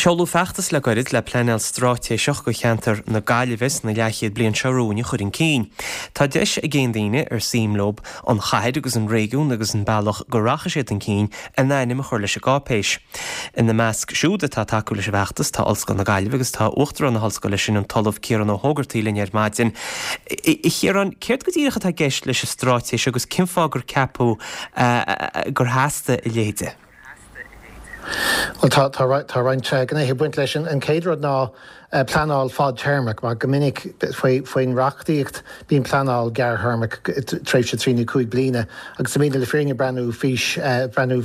Seoladh feachtas le gairid le pleanáil straitéiseach do cheantar na Gaillimhe sna leathchéad bliain seo romhainn a chur chun cinn. Tá deis ag aon daoine ar suim leo an chathair agus an réigiún agus an bealach go rachaidh siad chun cinn a n-ainm a chur leis an gcáipéis. Ina measc siúd atá ag tacú leis an bhfeachtas tá Ollscoil na Gaillimhe agus tá Uachtarán na hOllscoile sin, an tOllamh Ciarán Ó hÓgartaigh linn ar maidin. A Chiaráin, céard go díreach atá i gceist leis an straitéis agus cén fáth gur ceapadh gur theastaigh a leithéid de? Bhuel, tá, tá, tá roinnt gnéithe ag baint leis. An chéad rud ná pleanáil fadtéarmach, mar go minic faoi, faoin reachtaíocht bíonn pleanáil gearrthéarmach, tréimhse 3 nó 5 bliana, agus táimidne le fírinne ag breathnú fís, breathnú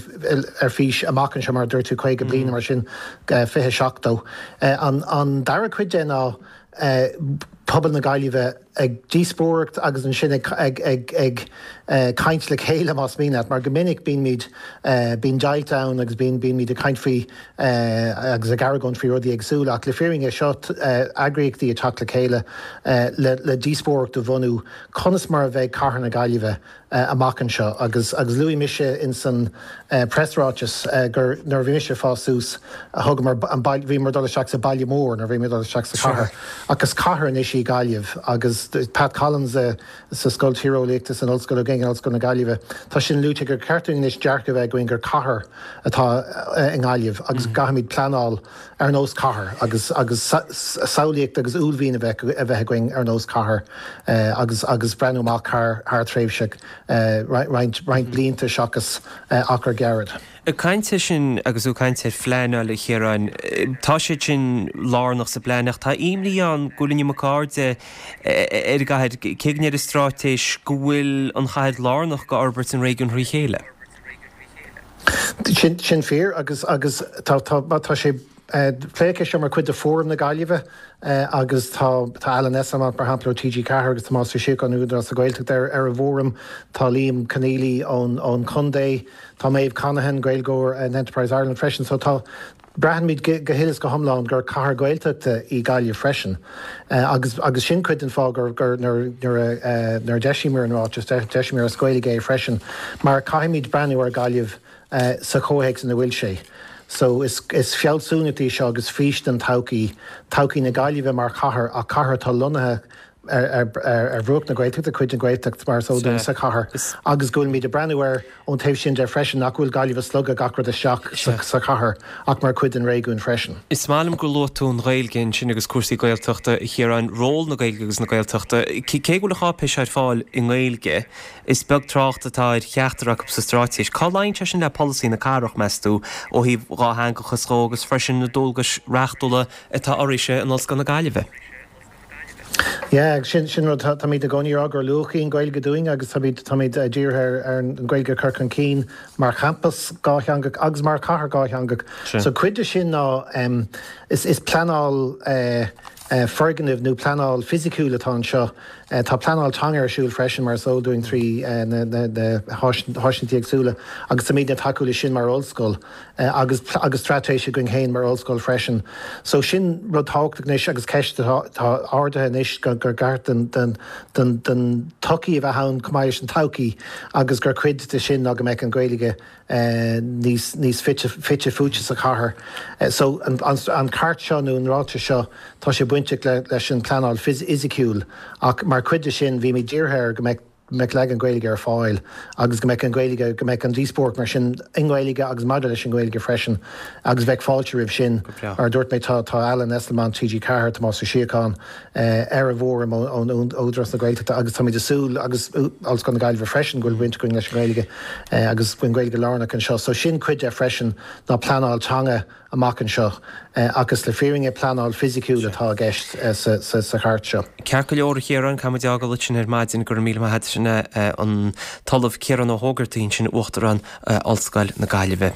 ar fís amach anseo, mar a dúirt tú, 50 bliain mar sin, 2070. An, an dara cuid de ná pobal na Gaillimhe ag díospóireacht agus ansin ag ag ag caint le chéile más mian leat, mar go minic bímid, bíonn deighilt ann agus bíonn bímid ag caint faoi agus ag argóint faoi rudaí éagsúla ach le fírinne seo eagraíochtaí ag teacht le chéile le le díospóireacht a bhunú conas mar a bheidh cathair na Gaillimhe amach anseo agus agus luaigh mise ins an preasráiteas gur nuair a bhí mise ag fás suas thugamar an baile bhíomar ag dul isteach sa baile mór nuair a bhíomar ag dul isteach sa chathair ach is cathair anois í Gaillimh agus Pat Collins sa Scoil Tíreolaíochta san Ollscoil againn in Ollscoil na Gaillimhe tá sin luaite gur ceart dúinn anois dearcadh a bheith againn gur cathair atá i nGaillimh agus go gcaithfimid pleanáil ar nós cathair agus agus samhlaíocht agus uaillmhian a bheith a bheith againn ar nós cathair agus agus breathnú amach thar thar tréimhse roinnt roinnt blianta seachas achar gairid. Ag caint air sin agus tú ag caint ar phleanáil, a Chiaráin, tá siad sin lárnach sa bplean ach tá imní ann go bhfuil an iomarca airde ar an gcathair, cé go ndeir an straitéis go bhfuil an chathair lárnach go fhorbairt an réigiúin thrí chéile. Sin, sin fíor agus, agus tá, tá, tá sé, pléadh é seo mar chuid de Fóram na Gaillimhe agus tá, tá Alan Esslemont mar shampla ó TG4 agus Tomás Ó Síocháin ó Údarás na Gaeltachta ar, ar an bhfóram, tá Liam Conneely ón, ón chontae, tá Maeve Conaghan, Gaeilgeoir in Enterprise Ireland freisin so tá, Braithimid go huile is go hiomlán gur cathair Ghaeltachta í Gaillimh freisin agus agus sin cuid den fáth gur gur nuair nuair a nuair a d'eisíomar an ráiteas d'eisíomar as Gaeilge é freisin mar caithfimid breathnú ar Ghaillimh sa chomhthéacs ina bhfuil sé. So is is fealsúnacht í seo agus fís don todhchaí, todhchaí na Gaillimhe mar chathair ach cathair atá lonnaithe ar bhruach na Gaeltachta, cuid den Ghaeltacht mar is eol dúinn sa chathair agus go bhfuilimid ag breathnú air ón taobh sin de freisin, nach bhfuil Gaillimh ag slogadh gach rud isteach sa chathair ach mar chuid den réigiún freisin. Is maith liom gur luaigh tú an Ghaeilge ansin agus cúrsaí Gaeltachta, a Chiaráin, ról na Gaeilge agus na Gaeltachta. Cé go bhfuil an cháipéis ar fáil i nGaeilge, is beag trácht atá ar cheachtar acu sa straitéis. Cá luíonn sé sin le polasaí na cathrach, meas tú, ó thaobh dhátheangachas dhó agus freisin na dualgais reachtúla atá oraibhse in Ollscoil na Gaillimhe? Yeah, sin, sin rud, táimid i gcónaí ag rá gur luach í an Ghaeilge dúinn agus táimid, táimid dírithe ar, ar an Ghaeilge a chur chun cinn mar champas dhátheangach agus mar chathair dhátheangach. So cuid de sin ná em, is, is pleanáil eh, eh, foirgnimh nó pleanáil fisiciúil atá anseo. Eh, tá pleanáil teanga ar siúl freisin mar is eol dúinn trí eh, na, na, na háiseanna éagsúla agus táimidne ag tacú leis sin mar ollscoil. agus agus straitéis againn féin mar ollscoil freisin. So sin rud tábhachtach anois agus ceist atá ardaithe anois gur ceart don don don don tsochaí a bheith ann chomh maith leis an todhchaí agus gur cuid de sin ná go mbeadh an Ghaeilge níos níos fite fite fuaite sa chathair. So an an an chairt seo nó an ráiteas seo tá sé bainteach le leis an pleanáil fhisiciúil ach mar chuid de sin bhímid dírithe ar go mbeadh mbeadh leagan Gaeilge ar fáil agus go mbeadh an Ghaeilge, go mbeadh an díospóireacht mar sin i nGaeilge agus maidir leis an nGaeilge freisin agus bheadh fáilte roimh sin. Mar a dúirt mé tá tá Alan Esslemont, TG4, Tomás Ó Síocháin ar an bhfóram ón Údarás na Gaeltachta agus táimid ag súil agus Ollscoil na Gaillimhe freisin go bhfuil baint againn leis an nGaeilge agus go bhfuil an Ghaeilge lárnach anseo. So sin cuid de freisin ná pleanáil teanga amach anseo agus le fírinne pleanáil fisiciúil atá i gceist sa chairt seo. Ceart go leor a Chiaráin, caithfidh muid fhágáil ansin ar maidin, go raibh míle maith agat sin an tOllamh Ciarán Ó hÓgartaigh ansin, Uachtarán Ollscoil na Gaillimhe.